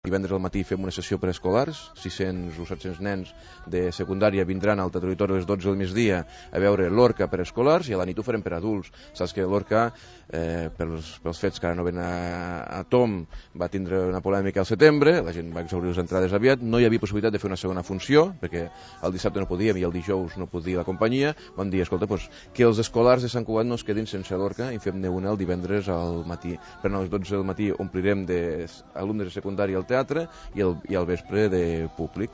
Divendres al matí fem una sessió preescolars, 600 o 700 nens de secundària vindran al Teatre Auditori a les 12 del migdia a veure l'Orca preescolars i a la nit ho farem per adults. Saps que l'Orca, pels fets que ara no ven a Tom, va tindre una polèmica al setembre, la gent va exaurir les entrades aviat, no hi havia possibilitat de fer una segona funció, perquè el dissabte no podíem i el dijous no podia la companyia. Vam dir, escolta, que els escolars de Sant Cugat no es quedin sense l'Orca i fem-ne una el divendres al matí. Per a les 12 del matí omplirem d'alumnes de secundària al teatre i al vespre de públic.